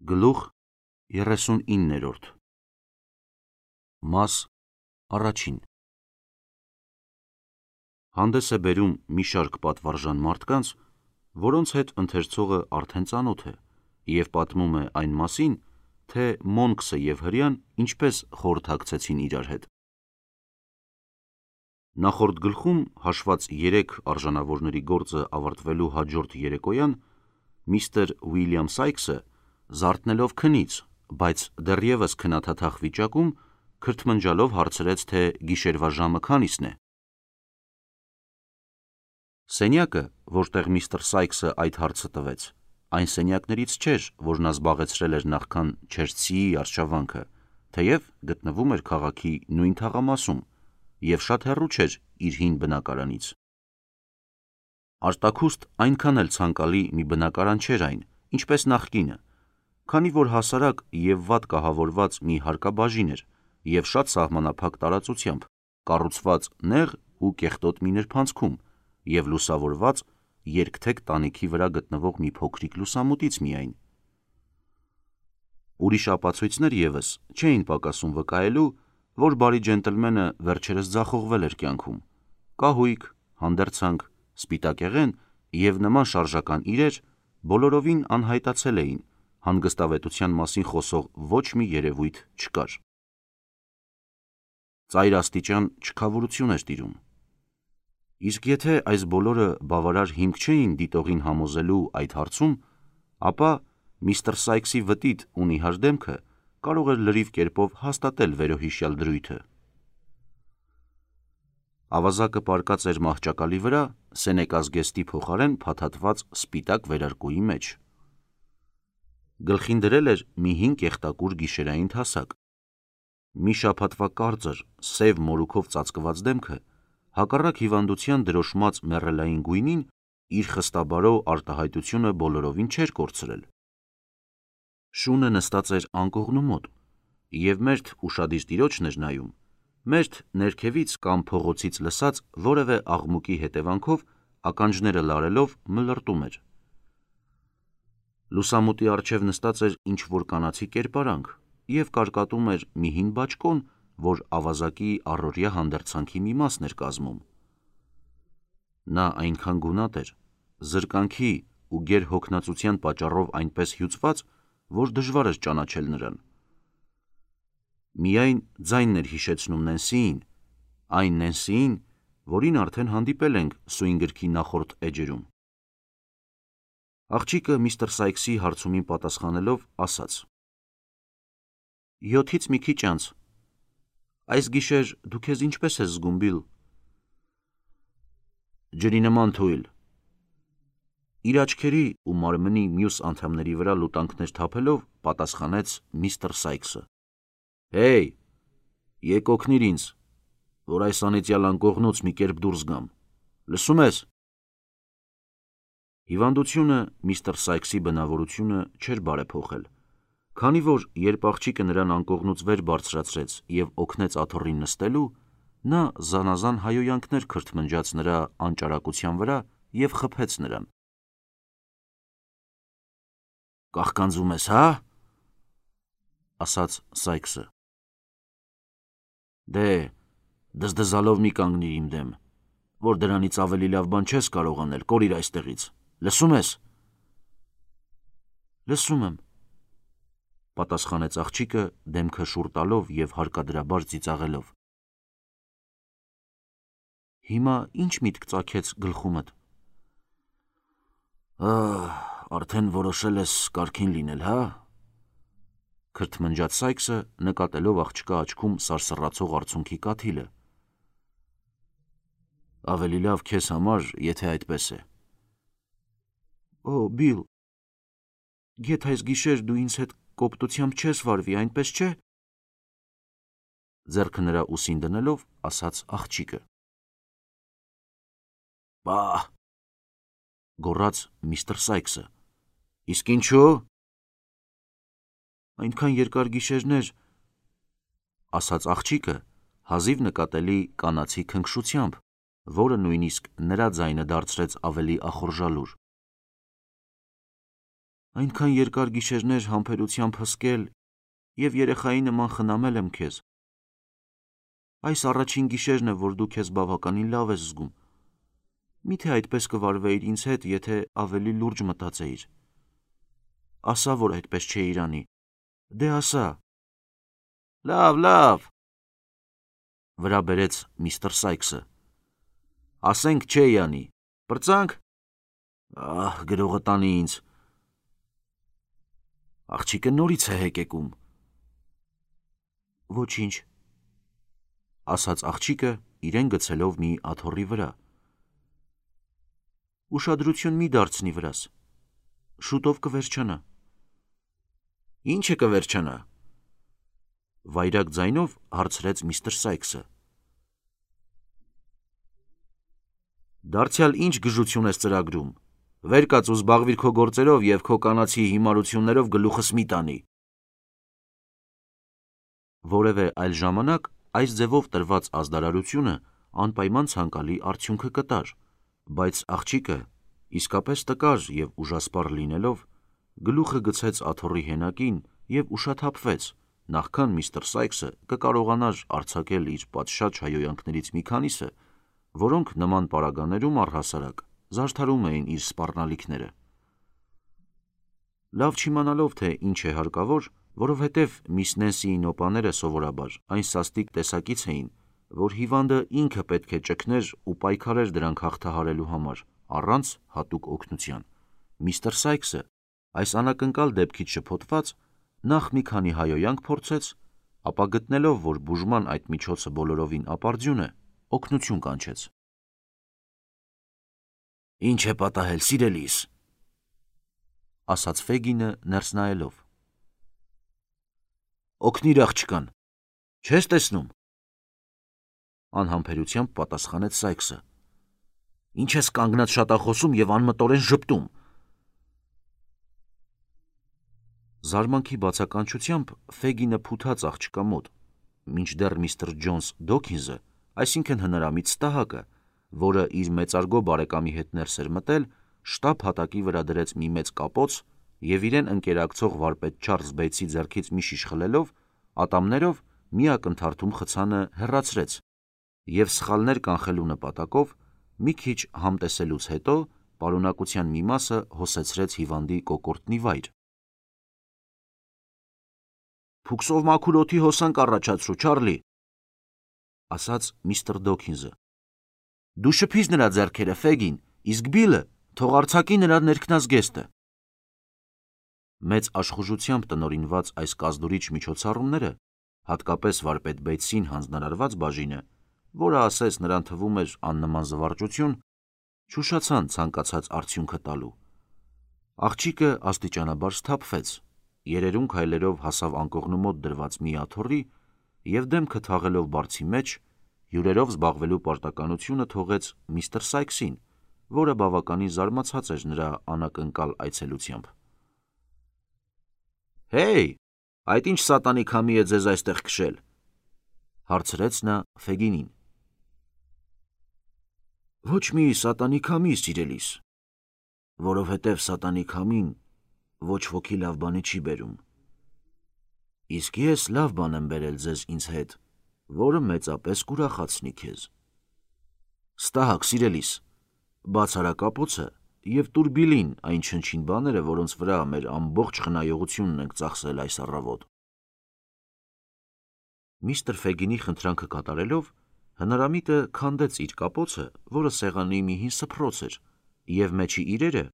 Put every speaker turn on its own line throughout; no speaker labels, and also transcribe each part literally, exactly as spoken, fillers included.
Գլուխ երեսունիններորդ Մաս առաջին Հանդես է բերում մի շարք պատվարժան մարդկանց, որոնց հետ ընթերցողը արդեն ծանոթ է, և պատմում է այն մասին, թե Մոնքսը և հրեան ինչպես խորհրդակցեցին իրար հետ։ Նախորդ գլխում հաշված երեք արժանավորների գործը ավարտվելու հաջորդ երեկոյան միստր Ուիլյամ Սայքսը, զարթնելով քնից, բայց դեռևս քնաթաթախ վիճակում, քրթմնջալով հարցրեց, թե գիշերվա ժամը քանիսն է։ Սենյակը, որտեղ միստր Սայքսը այդ հարցը տվեց, այն սենյակներից չէր, որ նա զբաղեցրել էր նախքան Չելսիի արշավանքը, թեև գտնվում էր քաղաքի նույն թաղամասում և շատ հեռու չէր իր հին բնակարանից։ Արտաքուստ այնքան էլ ցանկալի մի բնակարան չէր այն, ինչպես նախկինը, քանի որ հասարակ և վատ կահավորված մի հարկաբաժին էր և շատ սահմանափակ տարածությամբ, կառուցված նեղ ու կեղտոտ մի նրբանցքում և լուսավորված երկթեք տանիքի վրա գտնվող մի փոքրիկ լուսամուտից միայն։ Ուրիշ ապացույցներ ևս չէին պակասում վկայելու, որ բարի ջենտլմենը վերջերս ձախողվել էր կյանքում։ Կահույք, հանդերձանք, սպիտակեղեն և նման շարժական իրեր բոլորովին անհայտացել էին, հանգստավետության մասին խոսող ոչ մի երևույթ չկար։ Ծայրաստիճան չքավորություն էր տիրում։ Իսկ եթե այս բոլորը բավարար հիմք չէին դիտողին համոզելու այդ հարցում, ապա միստր Սայքսի վտիտ ու նիհար դեմքը կարող էր լրիվ կերպով հաստատել վերոհիշյալ դրույթը։ Ավազակը պառկած էր մահճակալի վրա սենեկազգեստի փոխարեն փաթաթված սպիտակ վերարկուի մեջ։ Գլխին դրել էր մի հին կեղտակուր գիշերային թասակ։ Մի շաբաթվա կարծր, սև մորուքով ծածկված դեմքը, հակառակ հիվանդության դրոշմած մեռելային գույնին, իր խստաբարո արտահայտությունը բոլորովին չէր կորցրել։ Շունը նստած էր անկողնու մոտ, և մերթ ուշադիր տիրոջն էր նայում, մերթ ներքևից կամ փողոցից լսած որևէ աղմուկի հետևանքով ականջները լարելով մլրտում էր։ Լուսամուտի առջև նստած էր ինչ-որ կանացի կերպարանք և կարկատում էր մի հին բաճկոն, որ ավազակի առօրյա հանդերձանքի մի մասն էր կազմում։ Նա այնքան գունատ էր, զրկանքի ու գերհոգնածության պատճառով այնպես հյուծված, որ դժվար էր ճանաչել նրան։ Միայն ձայնն էր հիշեցնում Նենսիին, այն Նենսիին, որին արդեն հանդիպել ենք սույն գրքի նախորդ էջերում։ Աղջիկը միստր Սայքսի հարցումին պատասխանելով ասաց. «Յոթից մի քիչ անց։ Այս գիշեր դու քեզ ինչպե՞ս ես զգում, Բիլ»։ «Ջրի նման թույլ»։ Իր աչքերի ու մարմնի մյուս անդամների վրա լուտանքներ թափելով պատասխանեց միստր Սայքսը։ «Հեյ, եկ օգնիր ինձ, որ այս անիծյալ անկողնուց մի կերպ դուրս գամ, լսում ես»։ Հիվանդությունը միստր Սայքսի բնավորությունը չէր բարեփոխել, քանի որ երբ աղջիկը նրան անկողնուց վեր բարձրացրեց և օգնեց աթոռին նստելու, նա զանազան հայհոյանքներ քրթմնջաց նրա անճարակության վրա և խփեց նրան։ «Կաղկանձում ես, հա՞, ասաց Սայքսը։ Դե, դզդզալով մի կանգնիր իմ դեմ, որ դրանից ավելի լավ բան չես կարող անել, կորիր այստեղից, լսում ես»։ «Լսում եմ», պատասխանեց աղջիկը դեմքը շուռ տալով և հարկադրաբար ծիծաղելով։ «Հիմա ի՞նչ միտք ծագեց գլխումդ»։ «Ահ, արդեն որոշել ես կարգին լինել, հա»։ Քրթմնջաց Սայքսը, նկատելով աղջկա աչքում սարսռացող արցունքի կաթիլը։ «Ավելի լավ քեզ համար, եթե այդպես է»։ «Օ, Բիլ, գեթ այս գիշեր դու ինձ հետ կոպտությամբ չես վարվի, այնպես չէ»։ Ձեռքը նրա ուսին դնելով, ասաց աղջիկը։ «Պահ», գոռաց միստր Սայքսը։ «Իսկ ինչու»։ «Այնքան երկար գիշերներ», ասաց աղջիկը հազիվ նկատելի կանացի քնքշությամբ, որը նույնիսկ նրա ձայնը դարձրեց ավելի ախորժալուր։ Այնքան երկար գիշերներ համբերությամբ հսկել և երեխայի նման խնամել եմ քեզ։ Այս առաջին գիշերն է, որ դու քեզ բավականին լավ ես զգում։ Միթե այդպես կվարվեիր ինձ հետ, եթե ավելի լուրջ մտածեիր։ Ասա, որ այդպես չէիր անի։ Դե ասա։ Լավ, լավ, վրա բերեց միստր Սայքսը։ Ասենք չէի անի։ Պրծանք։ Ահ, գրողը տանի ինձ։ Աղջիկը նորից է հեկեկում։ Ոչինչ, ասաց աղջիկը, իրեն գցելով մի աթոռի վրա։ Ուշադրություն մի դարձնի վրաս։ Շուտով կվերջանա։ Ինչը կվերջանա։ Վայրագ ձայնով հարցրեց միստր Սայքսը։ Դարձյալ ինչ գժություն ես ծրագրում։ Վեր կաց ու զբաղվիր քո գործերով և քո կանացի հիմարություններով գլուխս մի տանի։ Որևէ այլ ժամանակ այս ձևով տրված ազդարարությունը անպայման ցանկալի արդյունքը կտար, բայց աղջիկը իսկապես տկար և ուժասպառ լինելով, գլուխը գցեց աթոռի հենակին և ուշաթափվեց, նախքան միստր Սայքսը կկարողանար արձակել իր պատշաճ հայհոյանքներից մի քանիսը, որոնք նման պարագաներում առհասարակ զարդարում էին իր սպառնալիքները։ Լավ չիմանալով, թե ինչ է հարկավոր, որովհետև միս Նենսիի նոպաները սովորաբար այն սաստիկ տեսակից էին, որ հիվանդը ինքը պետք է ճգներ ու պայքարեր դրանք հաղթահարելու համար, առանց հատուկ օգնության, միստր Սայքսը, այս անակնկալ դեպքից շփոթված, նախ մի քանի հայհոյանք փորձեց, ապա գտնելով, որ բուժման այդ միջոցը բոլորովին ապարդյուն է, օգնություն կանչեց։ Ինչ է պատահել, սիրելիս, ասաց Ֆեգինը ներս նայելով։ Օգնիր աղջկան, չես տեսնում։ Անհամբերությամբ պատասխանեց Սայքսը։ Ինչ ես կանգնած շատախոսում և անմտորեն ժպտում։ Զարմանքի բացականչությամբ Ֆեգինը փութաց աղջկա մոտ, մինչդեռ միստր Ջոնս Դոքինզը, այսինքն հնարամիտ ստահակը, որը իր մեծարգո բարեկամի հետ ներս էր մտել, շտապ հատակի վրա դրեց մի մեծ կապոց և իրեն ընկերակցող վարպետ Չարլզ Բեյթսի ձեռքից մի շիշ խլելով, ատամներով մի ակնթարթում խցանը հեռացրեց և սխալներ կանխելու նպատակով մի քիչ համտեսելուց հետո պարունակության մի մասը հոսեցրեց հիվանդի կոկորդնի վայր։ Փուքսով մաքուր օդի հոսանք առաջացրու, Չարլի, ասաց միստր Դոքինզը։ Դու շփիս նրա ձեռքերը, Ֆեգին, իսկ Բիլը թող արձակի նրա ներքնազգեստը։ Մեծ աշխուժությամբ տնօրինված այս կազդուրիչ միջոցառումները, հատկապես վարպետ Բեյթսին հանձնարարված բաժինը, որը ասես նրան թվում էր աննման զվարճություն, չուշացան ցանկացած արդյունքը տալու։ Աղջիկը աստիճանաբար սթափվեց, երերուն քայլերով հասավ անկողնու մոտ դրված մի աթոռի և դեմքը թաղելով բարձի մեջ, հյուրերով զբաղվելու պարտականությունը թողեց միստր Սայքսին, որը բավականին զարմացած էր նրա անակնկալ այցելությամբ։ Հեյ, այդ ինչ սատանի քամի է ձեզ այստեղ քշել, հարցրեց նա Ֆեգինին։ Ոչ մի սատանի քամի, սիրելիս, որովհետև սատանի քամին ոչ ոքի լավ բանի չի բերում։ Իսկ ես լավ բան եմ բերել ձեզ ինձ հետ, որը մեծապես կուրախացնի քեզ։ Ստահակ, սիրելիս, բաց արա կապոցը և տուր Բիլին այն չնչին բաները, որոնց վրա մեր ամբողջ խնայողությունն ենք ծախսել այս առավոտ։ Միստր Ֆեգինի խնդրանքը կատարելով, հնարամիտը քանդեց իր կապոցը, որը սեղանի մի հին սփռոց էր, և մեջի իրերը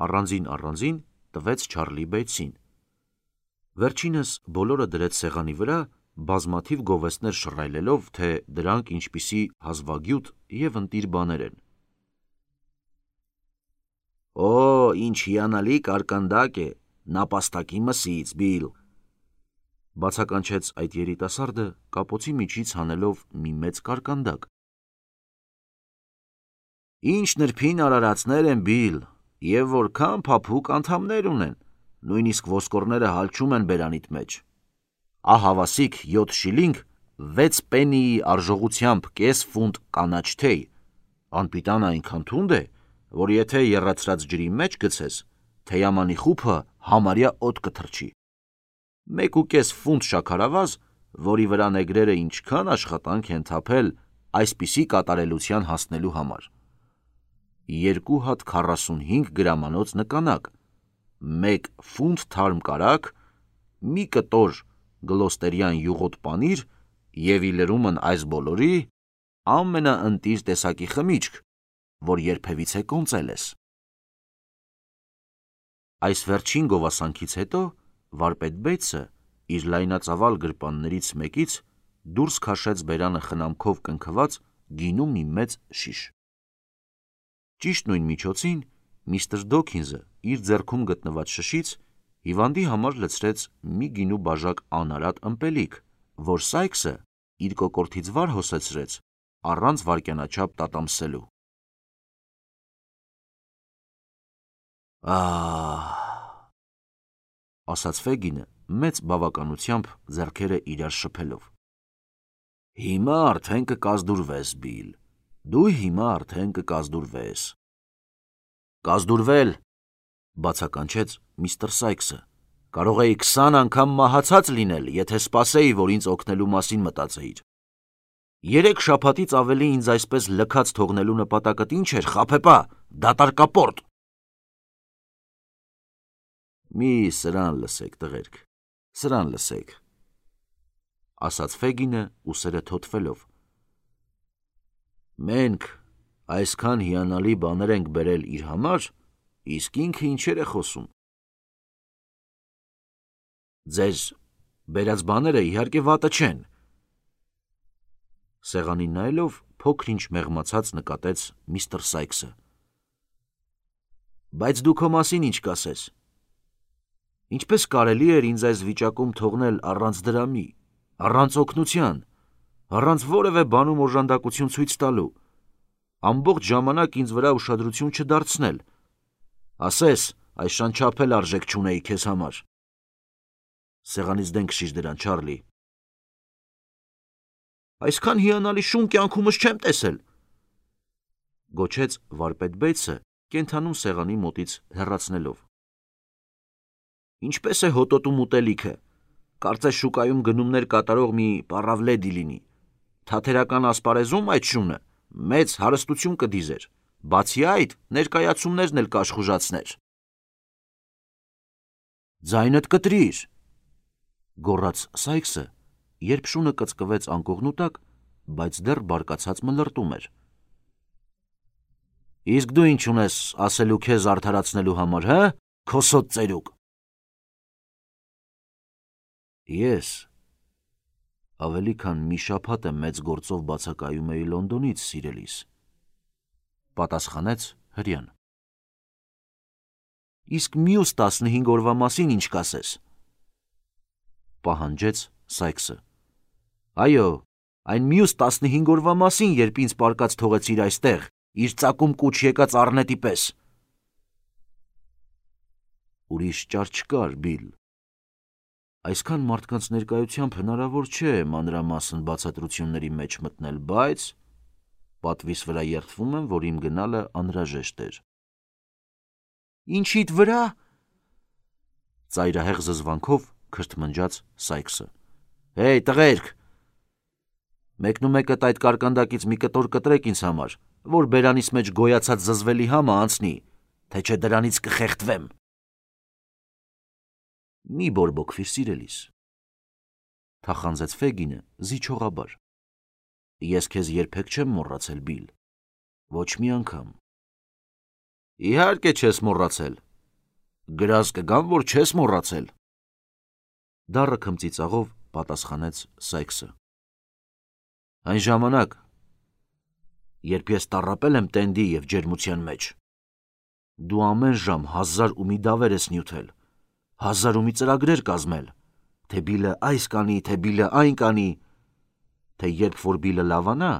առանձին-առանձին տվեց Չարլի Բեյթսին։ Վերջինս բոլորը դրեց սեղանի վրա, բազմաթիվ գովեստներ շռայլելով, թե դրանք ինչպիսի հազվագյուտ և ընտիր բաներ են։ Օ, ինչ հիանալի կարկանդակ է, նապաստակի մսից, Բիլ, բացականչեց այդ երիտասարդը, կապոցի միջից հանելով մի մեծ կարկանդակ։ Ինչ նրբին արարածներ են, Բիլ, և որքան փափուկ անդամներ ունեն, նույնիսկ ոսկորները հալչում են բերանիդ մեջ։ Ահավասիկ յոթ շիլինգ, վեց պեննիի արժողությամբ կես ֆունտ կանաչ թեյ, անպիտանը այնքան թունդ է, որ եթե եռացրած ջրի մեջ գցես, թեյամանի խուփը համարյա օդ կթռչի։ Մեկ ու կես ֆունտ շաքարավազ, որի վրա նեգրերը ինչքան աշխատանք են թափել այսպիսի կատարելության հասնելու համար։ Երկու հատ քառասունհինգ գրամանոց նկանակ, մեկ ֆունտ թարմ կարագ, մի կտոր գլոստերյան յուղոտ պանիր և ի լրումն այս բոլորի ամենաընտիր տեսակի խմիչք, որ երբևիցե կոնծել ես։ Այս վերջին գովասանքից հետո վարպետ Բեյթսը իր լայնածավալ գրպաններից մեկից դուրս քաշեց բերանը խնամքով կնքված գինու մի մեծ շիշ։ Ճիշտ նույն միջոցին միստր Դոքինզը իր ձեռքում գտնված շշից հիվանդի համար լցրեց մի գինու բաժակ անարատ ըմպելիք, որ Սայքսը իր կոկորդից վար հոսեցրեց առանց վայրկյանաչափ տատամսելու։ Ահ, ասաց Ֆեգինը մեծ բավականությամբ ձեռքերը իրար շփելով։ Հիմա արդեն կկազդուրվես, Բիլ, դու հիմա արդեն կկազդուրվես։ Կազդուրվել, բացականչեց միստր Սայքսը, կարող էի քսան անգամ մահացած լինել, եթե սպասեի, որ ինձ օգնելու մասին մտածեիր։ Երեք շաբաթից ավելի ինձ այսպես լքած թողնելու նպատակդ ինչ էր, խաբեբա, դատարկապորտ։ Մի սրան լսեք, տղերք, սրան լսեք, ասաց Ֆեգինը ուսերը թոթվելով։ Մենք այսքան հիանալի բաներ ենք բերել իր համար, իսկ ինքը ինչեր է խոսում։ Ձեզ բերած բաները իհարկե վատը չեն։ Սեղանին նայելով փոքր-ինչ մեղմացած նկատեց միստր Սայքսը։ Բայց դու քո մասին ինչ կասես։ Ինչպես կարելի էր ինձ այս վիճակում թողնել առանց դրամի, առանց օգնության, առանց որևէ բանում օժանդակություն ցույց տալու, ամբողջ ժամանակ ինձ վրա ուշադրություն չդարձնել, ասես այշան չափ էլ արժեք չունեի քեզ համար։ Սեղանից դեն քշիր դրան, Չարլի։ Այսքան հիանալի շուն կյանքումս չեմ տեսել, գոչեց վարպետ Բեյթսը, կենդանում սեղանի մոտից հեռացնելով։ Ինչպես է հոտոտում ուտելիքը, կարծես շուկայում գնումներ կատարող մի պառավլեդի լինի, թատերական ասպարեզում այդ շունը մեծ հարստություն կդիզեր, բացի այդ ներկայացումներն էլ կաշխուժացներ։ Ձայնդ կտրիր, գոռաց Սայքսը, երբ շունը կծկվեց անկողնու տակ, բայց դեռ բարկացած մլրտում էր։ Իսկ դու ինչ ունես ասելու քեզ արդարացնելու համար, հա, քոսոտ ծերուկ։ Ես ավելի քան մի շաբաթ է մեծ գործով բացակայում էի Լոնդոնից, սիրելիս, պատասխանեց հրեան։ Իսկ մյուս տասնհինգ օրվա մասին ինչ կասես, պահանջեց Սայքսը։ Այո, այն մյուս տասնհինգ օրվա մասին, երբ ինձ պարկած թողեցիր այստեղ, իր ծակում կուչ եկած առնետի պես։ Ուրիշ ճար չկար, Բիլ։ Այսքան մարդկանց ներկայությամբ հնարավոր չէ մանրամասն բացատրությունների մեջ մտնել, բայց պատվիս վրա երդվում եմ, որ իմ գնալը անհրաժեշտ էր։ Ինչիդ վրա, ծայրահեղ զզվանքով քրթմնջաց Սայքսը։ Հեյ, տղերք, մեկնումեկդ այդ կարկանդակից մի կտոր կտրեք ինձ համար, որ բերանիս մեջ գոյացած զզվելի համը անցնի, թե չէ դրանից կխեղդվեմ։ Մի բորբոքվիր, սիրելիս, թախանձեց Ֆեգինը զիջողաբար։ Ես քեզ երբեք չեմ մոռացել, Բիլ, ոչ մի անգամ։ Իհարկե չես մոռացել, գրած կգամ, որ չես մոռացել։ Դառը քմծիծաղով պատասխանեց Սայքսը։ Այն ժամանակ, երբ ես տառապել եմ տենդի և ջերմության մեջ, դու ամեն ժամ հազար ու մի դավեր ես նյութել, հազար ու մի ծրագրեր կազմել, թե Բիլը այս կանի, թե Բիլը այն կանի, թե երբ որ Բիլը լավանա,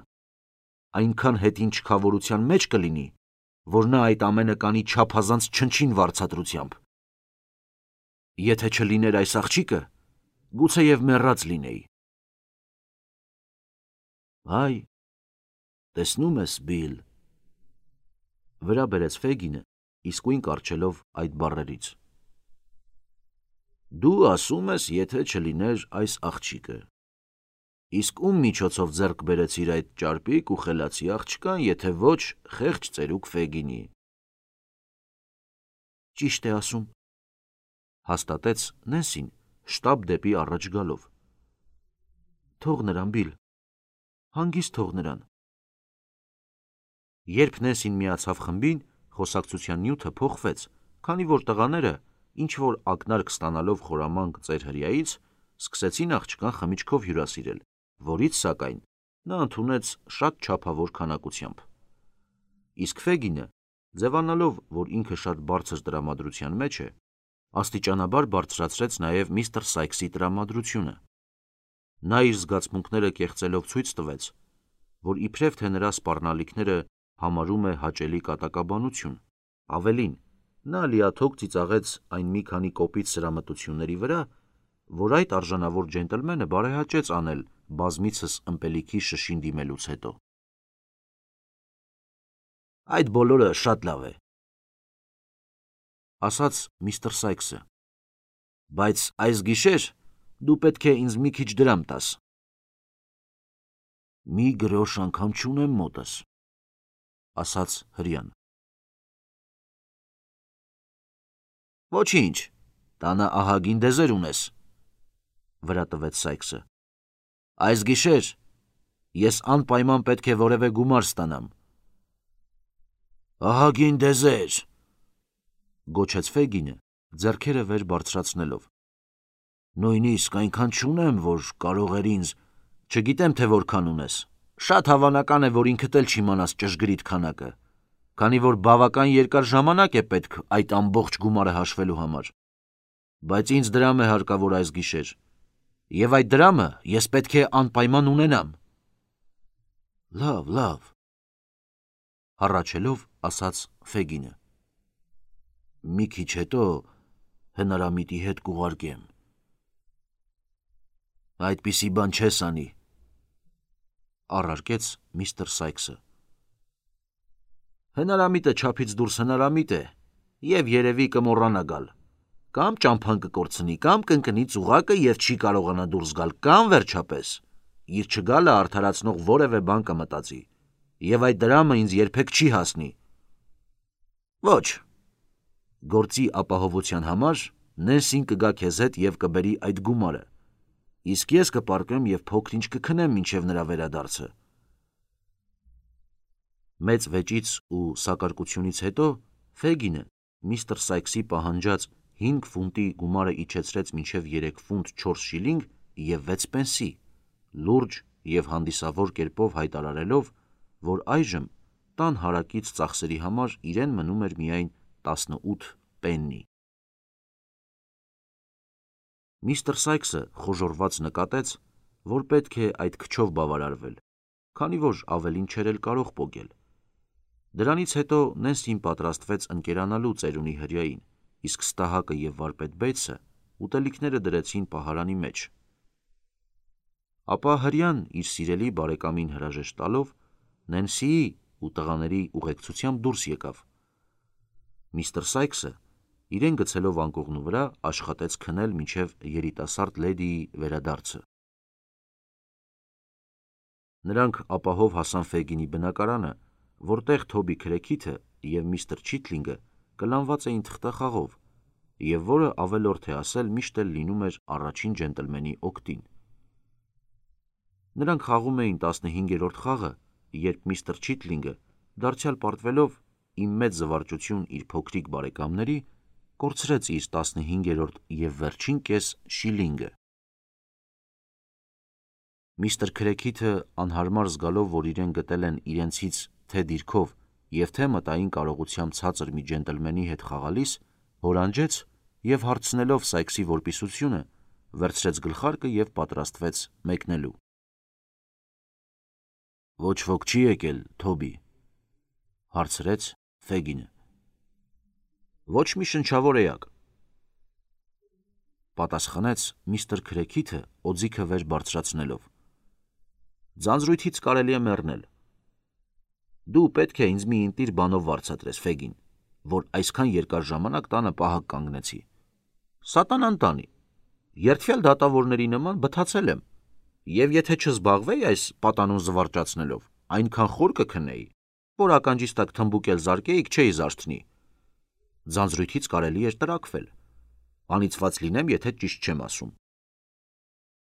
այնքան հետին չքավորության մեջ կլինի, որ նա այդ ամենը կանի չափազանց չնչին վարձատրությամբ։ Եթե չլիներ այս աղջիկը, գուցեև մեռած լինեի։ Այ, տեսնում ես, Բիլ, վրա բերեց Ֆեգինը, իսկույն կառչելով այդ բառերից։ Դու ասում ես, եթե չլիներ այս աղջիկը։ Իսկ ում միջոցով ձեռք բերեցիր այդ ճարպիկ ու խելացի աղջկան, եթե ոչ խեղճ ծերուկ Ֆեգինի։ Ճիշտ է ասում, հաստատեց Նենսին, շտապ դեպի առաջ գալով։ Թող նրան, Բիլ, հանգիստ թող նրան։ Երբ Նենսին միացավ խմբին, խոսակցության նյութը փոխվեց, քանի որ տղաները, ինչ որ ակնարկ ստանալով խորամանկ ծեր հրեայից, սկսեցին աղջկան խմիչքով հյուրասիրել, որից, սակայն, նա ընդունեց շատ չափավոր քանակությամբ։ Իսկ Ֆեգինը, ձևանալով, որ ինքը շատ բարձր տրամադրության մեջ է, աստիճանաբար բարձրացրեց նաև միստր Սայքսի տրամադրությունը։ Նա իր զգացմունքները կեղծելով ցույց տվեց, որ իբրև թե նրա սպառնալիքները համարում է հաճելի կատակաբանություն, ավելին, նա լիաթոք ծիծաղեց այն մի քանի կոպիտ սրամտությունների վրա, որ այդ արժանավոր ջենտլմենը բարեհաճեց անել բազմիցս ըմպելիքի շշին դիմելուց հետո։ Այդ բոլորը շատ լավ է, ասաց միստր Սայքսը, բայց այս գիշեր դու պետք է ինձ մի քիչ դրամ տաս։ Մի գրոշ անգամ չունեմ մոտս, ասաց հրեան։ Ոչինչ, տանը ահագին դեզեր ունես, վրա տվեց Սայքսը։ Այս գիշեր ես անպայման պետք է որևէ գումար ստանամ։ Ահագին դեզեր, գոչեց Ֆեգինը, ձեռքերը վեր բարձրացնելով։ Նույնիսկ այնքան չունեմ, որ կարող էր ինձ, չգիտեմ թե որքան ունես։ Շատ հավանական է, որ ինքդ էլ չիմանաս ճշգրիտ քանակը, քանի որ բավական երկար ժամանակ է պետք այդ ամբողջ գումարը հաշվելու համար։ Բայց ինձ դրամ է հարկավոր այս գիշեր, եւ այդ դրամը ես պետք է անպայման ունենամ։ Լավ, լավ, հառաչելով ասաց Ֆեգինը։ Մի քիչ հետո հնարամիտի հետ կուղարկեմ։ Այդպիսի բան չես անի, առարկեց միստր Սայքսը։ Հնարամիտը չափից դուրս հնարամիտ է, եւ երևի կմոռանա գալ։ Կամ ճամփան կկորցնի, կամ կընկնի ծուղակը եւ չի կարողանա դուրս գալ, կամ վերջապես իր չգալը արդարացնող որևէ բան կմտածի, եւ այդ դրամը ինձ երբեք չի հասնի։ Ոչ, գործի ապահովության համար Նենսին կգա քեզ հետ եւ կբերի այդ գումարը, իսկ ես կպառկեմ եւ փոքր-ինչ կքնեմ մինչեւ նրա վերադարձը։ Մեծ վեճից ու սակարկությունից հետո Ֆեգինը միստր Սայքսի պահանջած հինգ ֆունտի գումարը իջեցրեց մինչև երեք ֆունտ չորս շիլինգ եւ վեց պենսի, լուրջ եւ հանդիսավոր կերպով հայտարարելով, որ այժմ տան հարակից ծախսերի համար իրեն մնում էր միայն տասնութ պեննի։ Միստր Սայքսը խոժոռված նկատեց, որ պետք է այդ քչով բավարարվել, քանի որ ավելին չէր էլ կարող պոկել։ Դրանից հետո Նենսին պատրաստվեց ընկերանալու ծերունի հրեային, իսկ Ստահակը եւ վարպետ Բեյթսը ուտելիքները դրեցին պահարանի մեջ։ Ապա հրեան իր սիրելի բարեկամին հրաժեշտ տալով Նենսիի ու տղաների ուղեկցությամբ դուրս եկավ։ Միստր Սայքսը իրեն գցելով անկողնու վրա աշխատեց քնել մինչև երիտասարդ լեդիի վերադարձը։ Նրանք ապահով հասան Ֆեգինի բնակարանը, որտեղ Թոբի Քրեքիթը եւ միստր Չիթլինգը կլանված էին թղթախաղով, եւ որը ավելորդ է ասել միշտ էլ լինում էր առաջին ջենտլմենի օգտին։ Նրանք խաղում էին տասնհինգերորդ խաղը, երբ միստր Չիթլինգը, դարձյալ պարտվելով իմ մեծ զվարճություն իր փոքրիկ բարեկամների, կորցրեց իր տասնհինգերորդ եւ վերջին կես շիլինգը։ Միստր Քրեքիթը անհարմար զգալով, որ իրեն գտել են իրենցից թե դիրքով եւ թե մտային կարողությամբ ցածր մի ջենտլմենի հետ խաղալիս, հորանջեց եւ հարցնելով Սայքսի որպիսությունը, վերցրեց գլխարկը եւ պատրաստվեց մեկնելու։ Ոչ ոք չի եկել, Թոբի, հարցրեց Ֆեգինը։ Ոչ մի շնչավոր էակ, պատասխանեց միստր Քրեքիթը օձիքը վեր բարձրացնելով։ Ձանձրույթից կարելի է մեռնել։ Դու պետք է ինձ մի ինտիր բանով վարձատրես, Ֆեգին, որ այսքան երկար ժամանակ տանը պահակ կանգնեցի։ Սատանան տանի, Երդվյալ դատավորների նման բթացել եմ, եւ եթե չզբաղվեի այս պատանուն զվարճացնելով, այնքան խոր կքնեի, որ ականջիս տակ թմբուկ էլ զարկեիք չէի զարթնի։ Ձանձրույթից կարելի էր տրաքվել։ Անիծված լինեմ, եթե ճիշտ չեմ ասում։